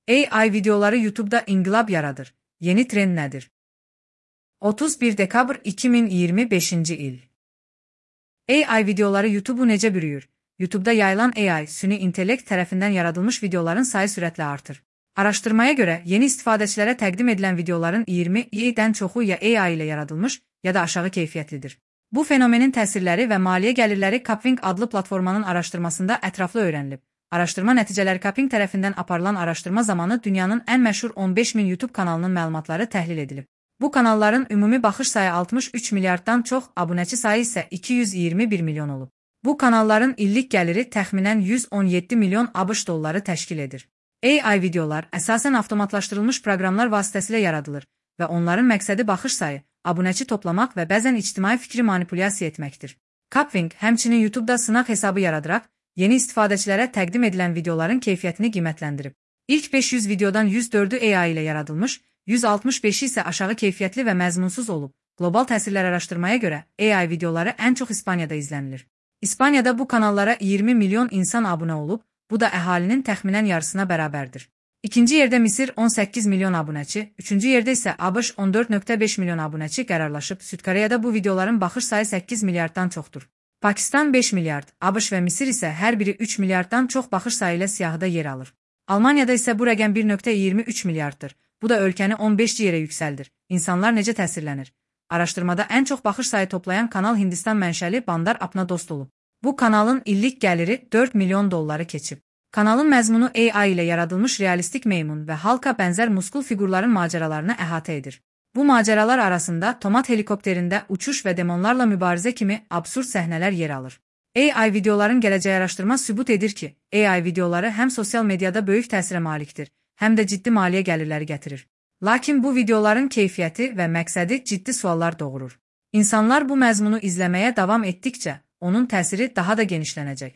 AI videoları YouTube'da inqilab yaradır. Yeni trend nədir? 31 dekabr 2025-ci il. AI videoları YouTube'u necə bürüyür? YouTube'da yayılan AI, süni intellekt tərəfindən yaradılmış videoların sayı sürətlə artır. Araşdırmaya görə, yeni istifadəçilərə təqdim edilən videoların 20%-dən çoxu ya AI ilə yaradılmış, ya da aşağı keyfiyyətlidir. Bu fenomenin təsirləri və maliyyə gəlirləri Kapwing adlı platformanın araşdırmasında ətraflı öyrənilib. Araşdırma nəticələri Kapwing tərəfindən aparılan araşdırma zamanı dünyanın ən məşhur 15.000 YouTube kanalının məlumatları təhlil edilib. Bu kanalların ümumi baxış sayı 63 milyarddan çox, abunəçi sayı isə 221 milyon olub. Bu kanalların illik gəliri təxminən 117 milyon ABŞ dolları təşkil edir. AI videolar əsasən avtomatlaşdırılmış proqramlar vasitəsilə yaradılır və onların məqsədi baxış sayı, abunəçi toplamaq və bəzən ictimai fikri manipulyasiya etməkdir. Kapwing həmçinin YouTube'da sınaq hesabı yaradaraq, yeni istifadəçilərə təqdim edilən videoların keyfiyyətini qiymətləndirib. İlk 500 videodan 104'ü AI ilə yaradılmış, 165'i isə aşağı keyfiyyətli və məzmunsuz olub. Qlobal təsirlər araşdırmaya görə AI videoları ən çox İspaniyada izlənilir. İspaniyada bu kanallara 20 milyon insan abunə olub, bu da əhalinin təxminən yarısına bərabərdir. İkinci yerdə Misir 18 milyon abunəçi, üçüncü yerdə isə ABŞ 14.5 milyon abunəçi qərarlaşıb. Süd Koreyada bu videoların baxış sayı 8 milyarddan çoxdur. Pakistan 5 milyard, ABŞ və Misir isə hər biri 3 milyarddan çox baxış sayı ilə siyahıda yer alır. Almaniyada isə bu rəqəm 1.23 milyarddır. Bu da ölkəni 15 yerə yüksəldir. İnsanlar necə təsirlənir? Araşdırmada ən çox baxış sayı toplayan kanal Hindistan mənşəli Bandar Apna Dost olub. Bu kanalın illik gəliri 4 milyon dolları keçib. Kanalın məzmunu AI ilə yaradılmış realistik meymun və halka bənzər muskul fiqurların macəralarını əhatə edir. Bu macəralar arasında tomat helikopterində uçuş və demonlarla mübarizə kimi absurd səhnələr yer alır. AI videoların gələcək araşdırma sübut edir ki, AI videoları həm sosial mediada böyük təsirə malikdir, həm də ciddi maliyyə gəlirləri gətirir. Lakin bu videoların keyfiyyəti və məqsədi ciddi suallar doğurur. İnsanlar bu məzmunu izləməyə davam etdikcə, onun təsiri daha da genişlənəcək.